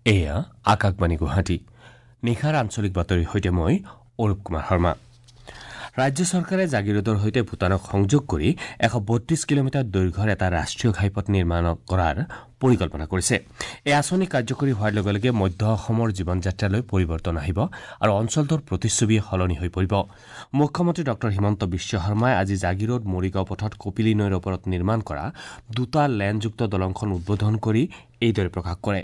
এয়া আকাশবাণী গুৱাহাটী। নিশাৰ আঞ্চলিক বাতৰিৰ সৈতে মই অৰূপ কুমাৰ শৰ্মা। ৰাজ্য চৰকাৰে জাগিৰোডৰ সৈতে ভূটানক সংযোগ কৰি 132 কিলোমিটাৰ দৈৰ্ঘ্যৰ এটা ৰাষ্ট্ৰীয় ঘাইপথ নিৰ্মাণ কৰাৰ পৰিকল্পনা কৰিছে। এই আঁচনি কাৰ্যকৰী হোৱাৰ লগে লগে মধ্য অসমৰ জীৱনযাত্ৰালৈ পৰিৱৰ্তন আহিব আৰু অঞ্চলটোৰ প্ৰতিচ্ছবি সলনি হৈ পৰিব। মুখ্যমন্ত্ৰী ডঃ হিমন্ত বিশ্ব শৰ্মাই আজি জাগিৰোড মৰিগাঁও পথত কপিলী নৈৰ ওপৰত নিৰ্মাণ কৰা দুটা লেনযুক্ত দলংখন উদ্বোধন কৰি এইদৰে প্ৰকাশ কৰে।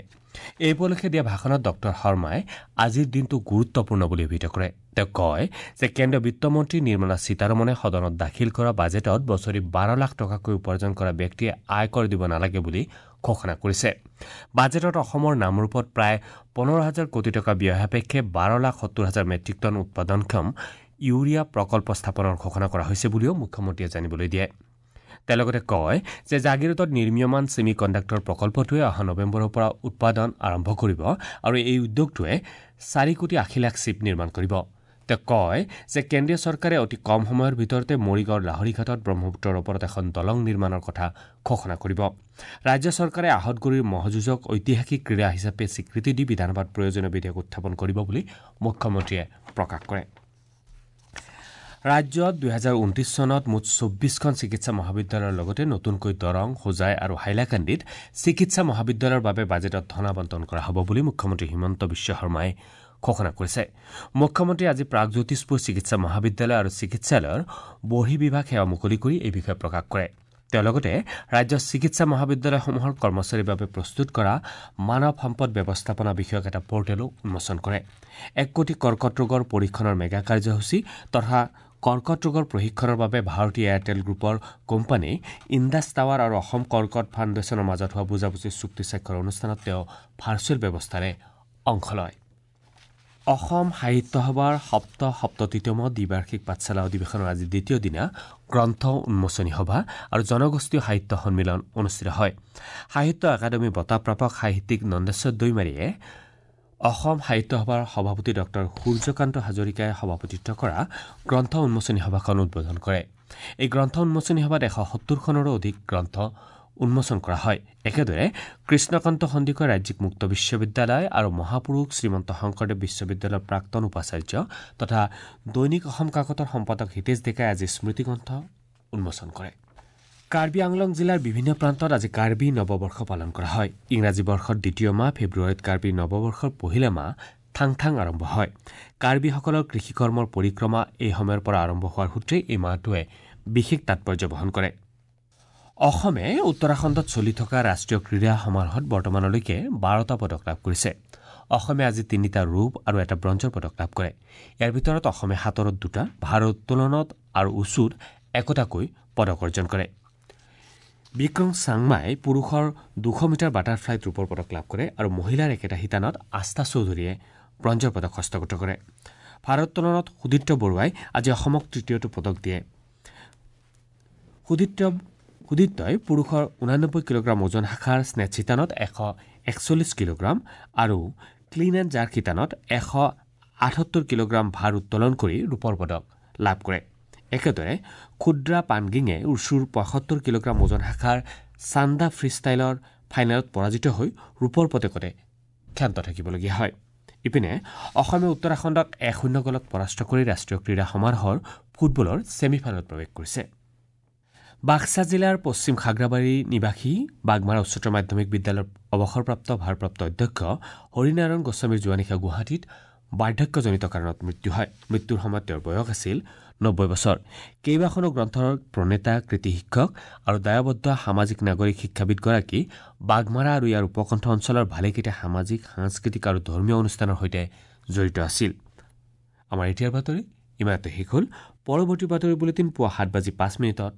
এই উপলক্ষে দিয়া ভাষণত ডঃ শৰ্মাই আজিৰ দিনটো গুৰুত্বপূৰ্ণ বুলি অভিহিত কৰে। তেওঁ কয় যে কেন্দ্ৰীয় বিত্তমন্ত্ৰী নিৰ্মলা সীতাৰমণে সদনত দাখিল কৰা বাজেটত বছৰি 12 লাখ টকাকৈ উপাৰ্জন কৰা ব্যক্তিয়ে আয়কৰ দিব নালাগে বুলি ঘোষণা কৰিছে। বাজেটত অসমৰ নামৰূপত প্ৰায় 15,000 কোটি টকা ব্যয় সাপেক্ষে 12,70,000 মেট্ৰিক টন উৎপাদনক্ষম ইউৰিয়া প্ৰকল্প স্থাপনৰ ঘোষণা কৰা হৈছে বুলিও মুখ্যমন্ত্ৰীয়ে জানিবলৈ দিয়ে। তেওঁ লগতে কয় যে জাগিৰোডত নিৰ্মীয়মান ছেমি কণ্ডাক্টৰ প্ৰকল্পটোৱে অহা নৱেম্বৰৰ পৰা উৎপাদন আৰম্ভ কৰিব আৰু এই উদ্যোগটোৱে 4 কোটি 80 লাখ চিপ নিৰ্মাণ কৰিব। তেওঁ কয় যে কেন্দ্ৰীয় চৰকাৰে অতি কম সময়ৰ ভিতৰতে মৰিগাঁৱৰ লাহৰীঘাটত ব্ৰহ্মপুত্ৰৰ ওপৰত এখন দলং নিৰ্মাণৰ কথা ঘোষণা কৰিব। ৰাজ্য চৰকাৰে আহতগুৰিৰ ম'হযুঁজক ঐতিহাসিক ক্ৰীড়া হিচাপে স্বীকৃতি দি বিধানসভাত প্ৰয়োজনীয় বিধেয়ক উত্থাপন কৰিব বুলি মুখ্যমন্ত্ৰীয়ে প্ৰকাশ কৰে। ৰাজ্যত 2029 চনত মুঠ 24খন চিকিৎসা মহাবিদ্যালয়ৰ লগতে নতুনকৈ দৰং, হোজাই আৰু হাইলাকান্দিত চিকিৎসা মহাবিদ্যালয়ৰ বাবে বাজেটত ধন আবণ্টন কৰা হ'ব বুলি মুখ্যমন্ত্ৰী হিমন্ত বিশ্ব শৰ্মাই ঘোষণা কৰিছে। মুখ্যমন্ত্ৰীয়ে আজি প্ৰাগজ্যোতিষপুৰ চিকিৎসা মহাবিদ্যালয় আৰু চিকিৎসালয়ৰ বহিৰ্বিভাগ সেৱা মুকলি কৰি এই বিষয়ে প্ৰকাশ কৰে। তেওঁ লগতে ৰাজ্যৰ চিকিৎসা মহাবিদ্যালয়সমূহৰ কৰ্মচাৰীৰ বাবে প্ৰস্তুত কৰা মানৱ সম্পদ ব্যৱস্থাপনা বিষয়ক এটা পৰ্টেলো উন্মোচন কৰে। 1 কোটি কৰ্কট ৰোগৰ পৰীক্ষণৰ মেগা কাৰ্যসূচী তথা কৰ্কট ৰোগৰ প্ৰশিক্ষণৰ বাবে ভাৰতীয় এয়াৰটেল গ্ৰুপৰ কোম্পানী ইণ্ডাছ টাৱাৰ আৰু অসম কৰ্কট ফাউণ্ডেশ্যনৰ মাজত হোৱা বুজাবুজিৰ চুক্তি স্বাক্ষৰ অনুষ্ঠানত তেওঁ ভাৰ্চুৱেল ব্যৱস্থাৰে অংশ লয়। অসম সাহিত্য সভাৰ ৭৭তম দ্বিবাৰ্ষিক পাঠশালা অধিৱেশনৰ আজি দ্বিতীয় দিনা গ্ৰন্থ উন্মোচনী সভা আৰু জনগোষ্ঠীয় সাহিত্য সন্মিলন অনুষ্ঠিত হয়। সাহিত্য একাডেমী বঁটাপ্ৰাপক সাহিত্যিক নন্দেশ্বৰ দৈমাৰীয়ে অসম সাহিত্য সভাৰ সভাপতি ডঃ সূৰ্যকান্ত হাজৰিকাই সভাপতিত্ব কৰা গ্ৰন্থ উন্মোচনী সভাখন উদ্বোধন কৰে। এই গ্ৰন্থ উন্মোচনী সভাত 170খনৰো অধিক গ্ৰন্থ উন্মোচন কৰা হয়। একেদৰে কৃষ্ণকান্ত সন্দিকৈ ৰাজ্যিক মুক্ত বিশ্ববিদ্যালয় আৰু মহাপুৰুষ শ্ৰীমন্ত শংকৰদেৱ বিশ্ববিদ্যালয়ৰ প্ৰাক্তন উপাচাৰ্য তথা দৈনিক অসম কাকতৰ সম্পাদক হিতেশ ডেকাই আজি স্মৃতিগ্ৰন্থ উন্মোচন কৰে। কাৰ্বি আংলং জিলাৰ বিভিন্ন প্ৰান্তত আজি কাৰ্বি নৱবৰ্ষ পালন কৰা হয়। ইংৰাজী বৰ্ষৰ দ্বিতীয় মাহ ফেব্ৰুৱাৰীত কাৰ্বি নৱবৰ্ষৰ পহিলা মাহ থাং থাং আৰম্ভ হয়। কাৰ্বিসকলৰ কৃষিকৰ্মৰ পৰিক্ৰমা এই সময়ৰ পৰা আৰম্ভ হোৱাৰ সূত্ৰে এই মাহটোৱে বিশেষ তাৎপৰ্য বহন কৰে। অসমে উত্তৰাখণ্ডত চলি থকা ৰাষ্ট্ৰীয় ক্ৰীড়া সমাৰোহত বৰ্তমানলৈকে 12টা পদক লাভ কৰিছে। অসমে আজি 3টা ৰূপ আৰু এটা ব্ৰঞ্জৰ পদক লাভ কৰে। ইয়াৰ ভিতৰত অসমে সাঁতোৰত 2টা, ভাৰোত্তোলনত আৰু উচুত 1টাকৈ পদক অৰ্জন কৰে। বিক্ৰম চাংমাই পুৰুষৰ 200 মিটাৰ বাটাৰফ্লাইত ৰূপৰ পদক লাভ কৰে আৰু মহিলাৰ একেটা শিতানত আস্থা চৌধুৰীয়ে ব্ৰঞ্জৰ পদক হস্তগত কৰে। ভাৰোত্তোলনত সুদীপ্ত বৰুৱাই আজি অসমক তৃতীয়টো পদক দিয়ে। সুদীপ্তই পুৰুষৰ 89 কিলোগ্ৰাম ওজন শাখাৰ স্নেচ শিতানত 141 কিলোগ্ৰাম আৰু ক্লিন এণ্ড জাৰ্ক শিতানত 178 কিলোগ্ৰাম ভাৰ উত্তোলন কৰি ৰূপৰ পদক লাভ কৰে। একেদৰে ক্ষুদ্ৰা পানগিঙে উৰ্চুৰ 75 কিলোগ্ৰাম ওজন শাখাৰ চান্দা ফ্ৰীষ্টাইলৰ ফাইনেলত পৰাজিত হৈ ৰূপৰ পদকতে ক্ষান্ত থাকিবলগীয়া হয়। ইপিনে অসমে উত্তৰাখণ্ডক 1-0 গ'লত পৰাস্ত কৰি ৰাষ্ট্ৰীয় ক্ৰীড়া সমাৰোহৰ ফুটবলৰ ছেমি ফাইনেলত প্ৰৱেশ কৰিছে। বাক্সা জিলাৰ পশ্চিম খাগ্ৰাবাৰী নিবাসী বাগমাৰা উচ্চতৰ মাধ্যমিক বিদ্যালয়ৰ অৱসৰপ্ৰাপ্ত ভাৰপ্ৰাপ্ত অধ্যক্ষ হৰিনাৰায়ণ গোস্বামীৰ যোৱা নিশা গুৱাহাটীত বাৰ্ধক্যজনিত কাৰণত মৃত্যু হয়। মৃত্যুৰ সময়ত তেওঁৰ বয়স আছিল 90 বছৰ। কেইবাখনো গ্ৰন্থৰ প্ৰণেতা, কৃতি শিক্ষক আৰু দায়বদ্ধ সামাজিক নাগৰিক শিক্ষাবিদগৰাকী বাগমাৰা আৰু ইয়াৰ উপকণ্ঠ অঞ্চলৰ ভালেকেইটা সামাজিক, সাংস্কৃতিক আৰু ধৰ্মীয় অনুষ্ঠানৰ সৈতে জড়িত আছিল। আমাৰ এতিয়াৰ বাতৰি ইমানতে শেষ হ'ল। পৰৱৰ্তী বাতৰি বুলেটিন পুৱা 7:05।